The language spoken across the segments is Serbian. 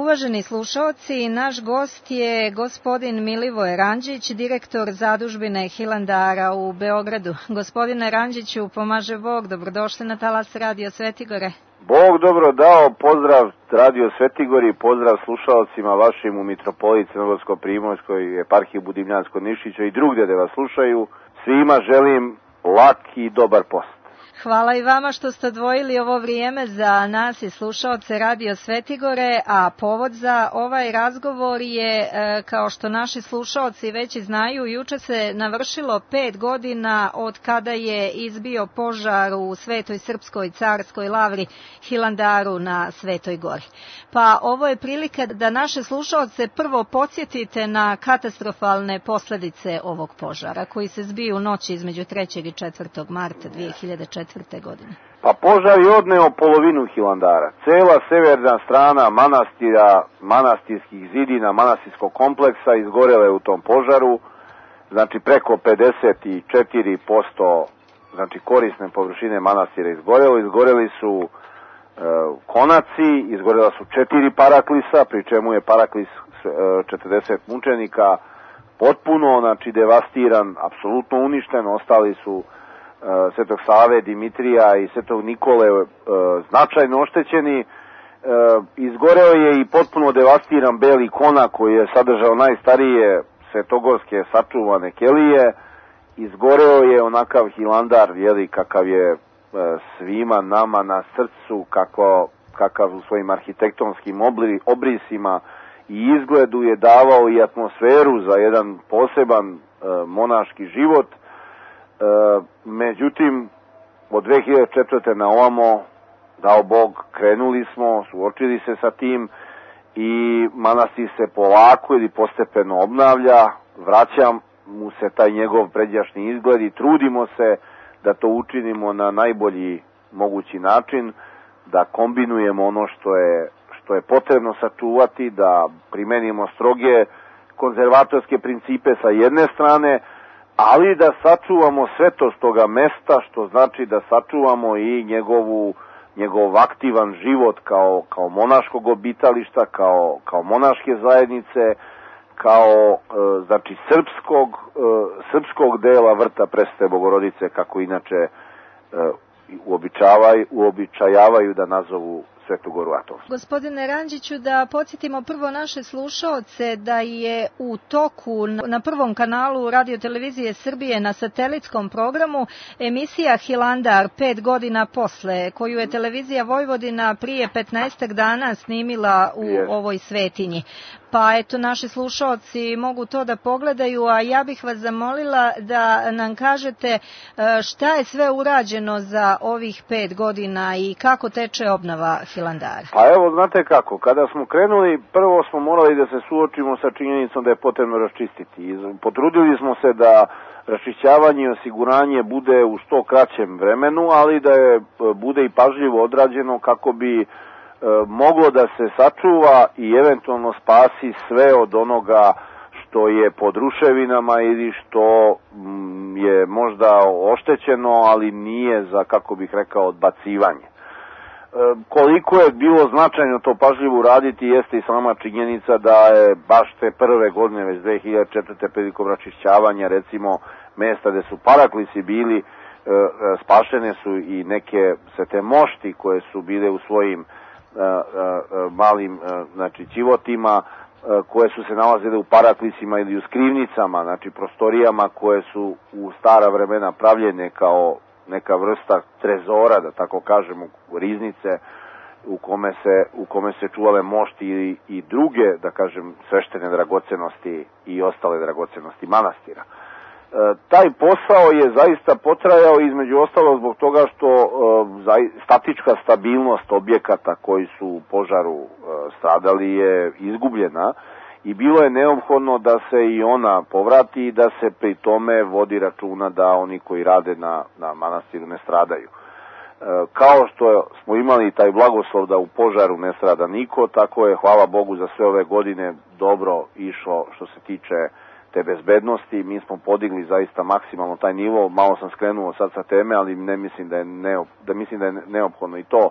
Uvaženi slušaoci, naš gost je gospodin Milivoje Ranđić, direktor zadužbine Hilandara u Beogradu. Gospodine Ranđiću, pomaže Bog, dobrodošli na talas Radio Svetigore. Bog dobro dao, pozdrav Radio Svetigori, pozdrav slušalcima vašim u Mitropoliji Crnogorsko-Primorskoj, eparhiji Budimljansko-Nišića i drugdje da vas slušaju. Svima želim lak i dobar post. Hvala i vama što ste odvojili ovo vrijeme za nas i slušaoce Radio Svetigore, a povod za ovaj razgovor je, kao što naši slušaoci već znaju, juče se navršilo 5 godina od kada je izbio požar u Svetoj Srpskoj carskoj lavri Hilandaru na Svetoj Gori. Pa ovo je prilika da naše slušaoce prvo podsjetite na katastrofalne posljedice ovog požara koji se zbio u noći između 3. i 4. marta 2004. godine. Pa požar je odneo polovinu Hilandara. Cela severna strana manastira, manastirskih zidina, manastirskog kompleksa izgorele u tom požaru. Znači preko 54% znači korisne površine manastira izgorelo. Izgoreli su konaci, izgorela su 4 paraklisa, pri čemu je paraklis 40 mučenika potpuno, znači devastiran, apsolutno uništen. Ostali su Svetog Save, Dimitrija i Svetog Nikole značajno oštećeni. Izgoreo je i potpuno devastiran Beli konak koji je sadržao najstarije svetogorske sačuvane kelije. Izgoreo je onakav Hilandar, kakav je svima nama na srcu, kakav u svojim arhitektonskim obrisima i izgledu je davao i atmosferu za jedan poseban monaški život. Međutim, od 2004. na ovamo, dao Bog, krenuli smo, suočili se sa tim i manastir se polako ili postepeno obnavlja, vraća mu se taj njegov pređašnji izgled i trudimo se da to učinimo na najbolji mogući način, da kombinujemo ono što je potrebno sačuvati, da primenimo stroge konzervatorske principe sa jedne strane, ali da sačuvamo svetost toga mesta, što znači da sačuvamo i njegov aktivan život kao monaškog obitališta, kao monaške zajednice, kao znači srpskog dela vrta Presvete Bogorodice, kako inače uobičajavaju da nazovu Svetu Goru Atonsku. Gospodine Ranđiću, da podsjetimo prvo naše slušaoce da je u toku na prvom kanalu Radio-televizije Srbije na satelitskom programu emisija Hilandar 5 godina posle, koju je televizija Vojvodina prije 15 dana snimila u ovoj svetinji. Pa eto, naši slušaoci mogu to da pogledaju, a ja bih vas zamolila da nam kažete šta je sve urađeno za ovih 5 godina i kako teče obnova Hilandara. Pa evo, znate kako, kada smo krenuli, prvo smo morali da se suočimo sa činjenicom da je potrebno raščistiti. Potrudili smo se da raščišćavanje i osiguranje bude u što kraćem vremenu, ali da bude i pažljivo odrađeno kako bi moglo da se sačuva i eventualno spasi sve od onoga što je pod ruševinama ili što je možda oštećeno, ali nije za, kako bih rekao, odbacivanje. Koliko je bilo značajno to pažljivo uraditi jeste i sama činjenica da je baš te prve godine, već 2004. prilikom račišćavanja recimo mesta gde su paraklisi bili, spašene su i neke svete mošti koje su bile u svojim malim znači ćivotima, koje su se nalazile u paraklisima ili u skrivnicama, znači prostorijama koje su u stara vremena pravljene kao neka vrsta trezora, da tako kažemo, riznice u kome se čuvale mošti i druge, da kažem, sveštene dragocenosti i ostale dragocenosti manastira. Taj posao je zaista potrajao između ostalo zbog toga što statička stabilnost objekata koji su u požaru stradali je izgubljena i bilo je neophodno da se i ona povrati i da se pri tome vodi računa da oni koji rade na manastiru ne stradaju. Kao što smo imali taj blagoslov da u požaru ne strada niko, tako je, hvala Bogu, za sve ove godine dobro išlo što se tiče te bezbednosti. Mi smo podigli zaista maksimalno taj nivo, malo sam skrenuo sad sa teme, ali mislim da je neophodno i to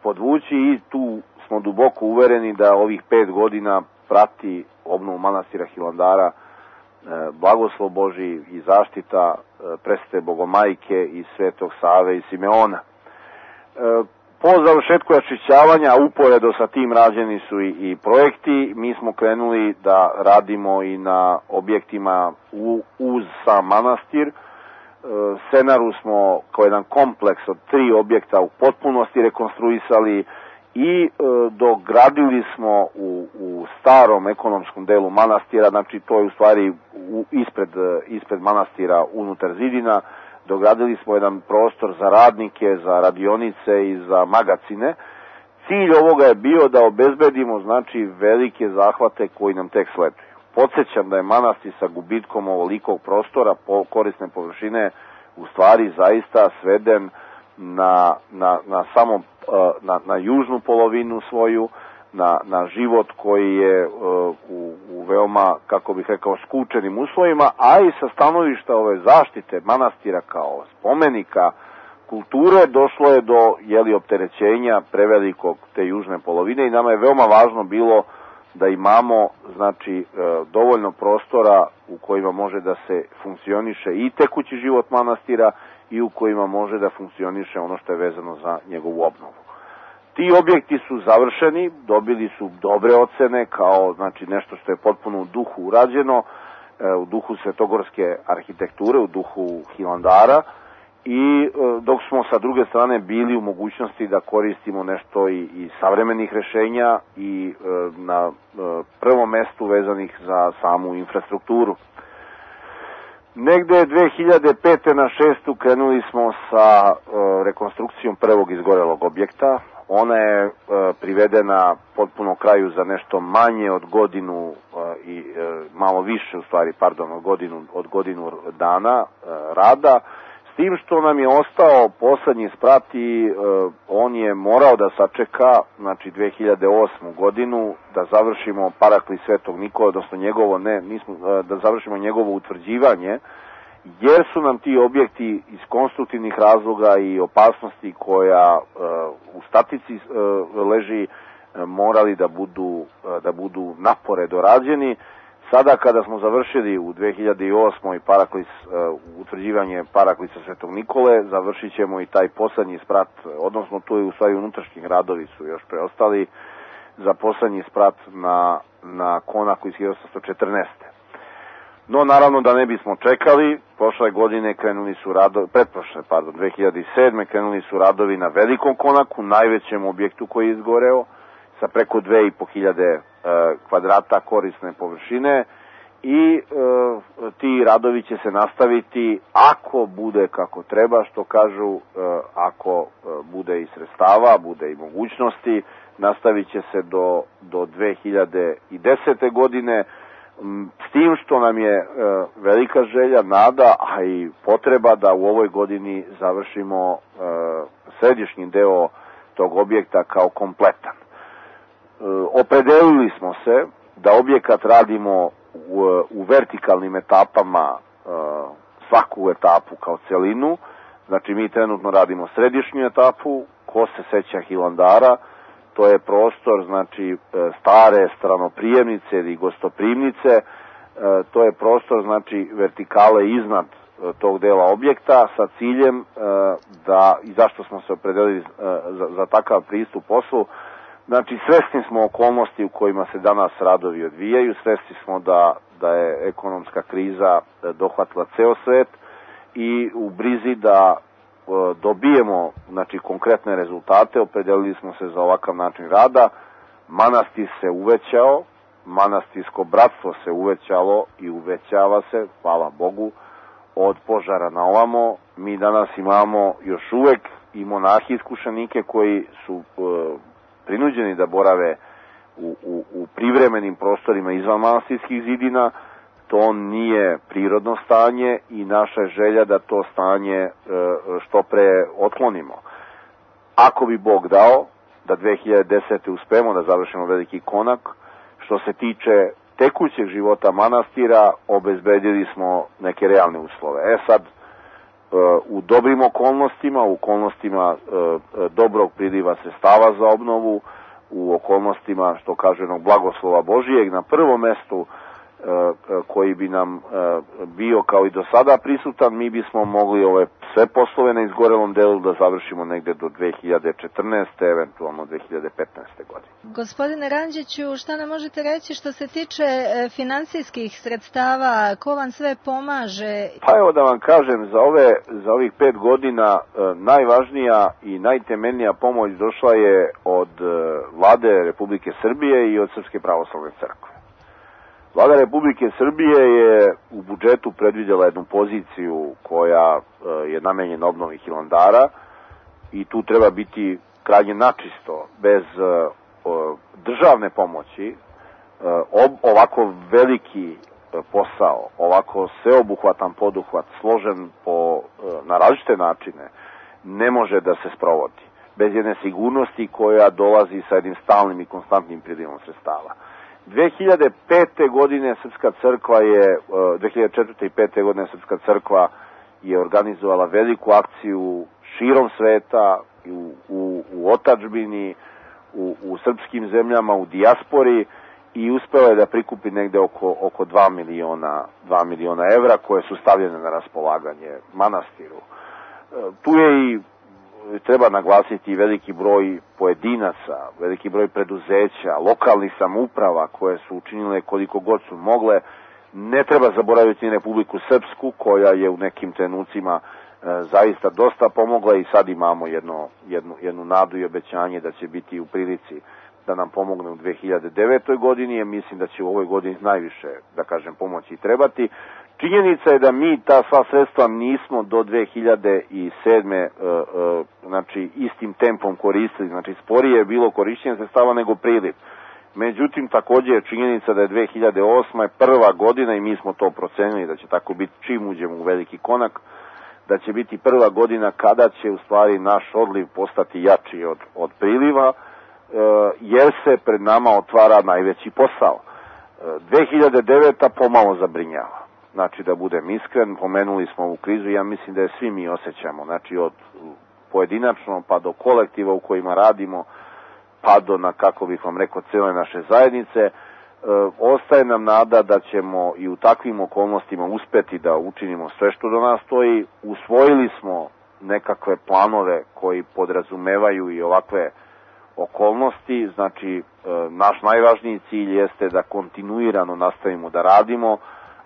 podvući i tu smo duboko uvereni da ovih 5 godina prati obnovu manastira Hilandara blagoslov Božji i zaštita presvete Bogomajke i Svetog Save i Simeona. Po završetku raščišćavanja, uporedo sa tim rađeni su i projekti. Mi smo krenuli da radimo i na objektima uz sam manastir. Senaru smo kao jedan kompleks od 3 objekta u potpunosti rekonstruisali i dogradili smo u starom ekonomskom delu manastira, znači to je u stvari ispred manastira unutar zidina. Dogradili smo jedan prostor za radnike, za radionice i za magacine. Cilj ovoga je bio da obezbedimo, znači, velike zahvate koji nam tek sleduju. Podsjećam da je manastir sa gubitkom ovolikog prostora, korisne površine, u stvari zaista sveden na južnu polovinu svoju, na život koji je u veoma, kako bih rekao, skučenim uslovima, a i sa stanovišta ove zaštite manastira kao spomenika kulture došlo je do opterećenja prevelikog te južne polovine i nama je veoma važno bilo da imamo, znači, dovoljno prostora u kojima može da se funkcioniše i tekući život manastira i u kojima može da funkcioniše ono što je vezano za njegovu obnovu. Ti objekti su završeni, dobili su dobre ocene kao, znači, nešto što je potpuno u duhu urađeno, u duhu svetogorske arhitekture, u duhu Hilandara, i dok smo sa druge strane bili u mogućnosti da koristimo nešto i savremenih rešenja i na prvom mestu vezanih za samu infrastrukturu. Negde 2005. na 2006. krenuli smo sa rekonstrukcijom prvog izgorelog objekta. Ona je privedena potpuno kraju za nešto manje od godinu i malo više, u stvari, od godinu dana rada. S tim što nam je ostao poslednji sprat i on je morao da sačeka, znači, 2008. godinu da završimo Paraklis Svetog Nikole, odnosno da završimo njegovo utvrđivanje, jer su nam ti objekti iz konstruktivnih razloga i opasnosti koja u statici leži morali da budu napore dorađeni. Sada kada smo završili u 2008. Utvrđivanje Paraklisa Svetog Nikole, završit ćemo i taj poslednji sprat, odnosno tu je u stvari unutrašnji radovi su još preostali za poslednji sprat na konaku iz 1814. No, naravno da ne bismo čekali, prošle godine krenuli su radovi, 2007. krenuli su radovi na velikom konaku, najvećem objektu koji je izgoreo, sa preko 2500 kvadrata korisne površine i ti radovi će se nastaviti ako bude kako treba, što kažu, ako bude i sredstava, bude i mogućnosti, nastavit će se do 2010. godine, s tim što nam je velika želja, nada, a i potreba da u ovoj godini završimo središnji deo tog objekta kao kompletan. Opredelili smo se da objekat radimo u vertikalnim etapama, svaku etapu kao celinu. Znači, mi trenutno radimo središnju etapu. Ko se seća Hilandara, to je prostor, znači, stare stranoprijemnice ili gostoprimnice. To je prostor, znači, vertikale iznad tog dela objekta sa ciljem i zašto smo se opredelili za takav pristup poslu. Znači, svesni smo okolnosti u kojima se danas radovi odvijaju, svesni smo da je ekonomska kriza dohvatila ceo svet i u brizi da dobijemo, znači, konkretne rezultate, opredelili smo se za ovakav način rada. Manastir se uvećao, manastirsko bratstvo se uvećalo i uvećava se, hvala Bogu, od požara na ovamo. Mi danas imamo još uvek i monahi iskušenike koji su prinuđeni da borave u privremenim prostorima izvan manastirskih zidina. To nije prirodno stanje i naša je želja da to stanje što pre otklonimo. Ako bi Bog dao da 2010. uspemo da završimo veliki konak, što se tiče tekućeg života manastira, obezbedili smo neke realne uslove. Sad, u dobrim okolnostima, u okolnostima dobrog priliva sredstava za obnovu, u okolnostima, što kaže, jednog blagoslova Božijeg, na prvom mestu koji bi nam bio kao i do sada prisutan, mi bismo mogli ove sve poslove na izgorelom delu da završimo negde do 2014. eventualno 2015. godine. Gospodine Ranđiću, šta nam možete reći što se tiče finansijskih sredstava, ko vam sve pomaže? Pa evo da vam kažem, za ovih 5 godina najvažnija i najtemeljnija pomoć došla je od Vlade Republike Srbije i od Srpske pravoslavne crkve. Vlada Republike Srbije je u budžetu predvidjela jednu poziciju koja je namenjena obnovi Hilandara i tu treba biti krajnje načisto. Bez državne pomoći ovako veliki posao, ovako sveobuhvatan poduhvat, složen na različite načine, ne može da se sprovodi. Bez jedne sigurnosti koja dolazi sa jednim stalnim i konstantnim prilivom sredstava. 2005. godine Srpska crkva je, 2004. i 2005. godine Srpska crkva je organizovala veliku akciju širom sveta, u otadžbini, u srpskim zemljama, u dijaspori i uspela je da prikupi negde oko 2 miliona evra koje su stavljene na raspolaganje manastiru. Tu je i treba naglasiti veliki broj pojedinaca, veliki broj preduzeća, lokalnih samouprava koje su učinile koliko god su mogle. Ne treba zaboraviti Republiku Srpsku koja je u nekim trenucima zaista dosta pomogla i sad imamo jednu nadu i obećanje da će biti u prilici da nam pomogne u 2009. godini, jer mislim da će u ovoj godini najviše, da kažem, pomoći trebati. Činjenica je da mi ta sva sredstva nismo do 2007. Znači istim tempom koristili, znači sporije je bilo korišćenje sredstava nego priliv. Međutim, također je činjenica da je 2008. prva godina i mi smo to procenili da će tako biti čim uđemo u veliki konak, da će biti prva godina kada će u stvari naš odliv postati jači od priliva, jer se pred nama otvara najveći posao. 2009. pomalo zabrinjava. Znači, da budem iskren, pomenuli smo ovu krizu i ja mislim da je svi mi osjećamo, znači od pojedinačno pa do kolektiva u kojima radimo, pa do, kako bih vam rekao, cijele naše zajednice. Ostaje nam nada da ćemo i u takvim okolnostima uspeti da učinimo sve što do nas stoji. Usvojili smo nekakve planove koji podrazumevaju i ovakve okolnosti, znači naš najvažniji cilj jeste da kontinuirano nastavimo da radimo,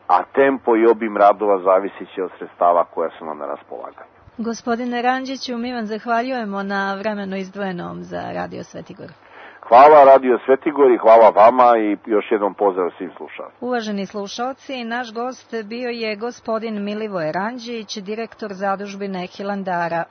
a tempo i obim radova zavisit će od sredstava koja su nam na raspolaganju. Gospodine Ranđiću, mi vam zahvaljujemo na vremenu izdvojenom za Radio Svetigor. Hvala Radio Svetigor i hvala vama i još jednom pozdrav svim slušalcima. Uvaženi slušalci, naš gost bio je gospodin Milivoje Ranđić, direktor zadužbine Hilandara.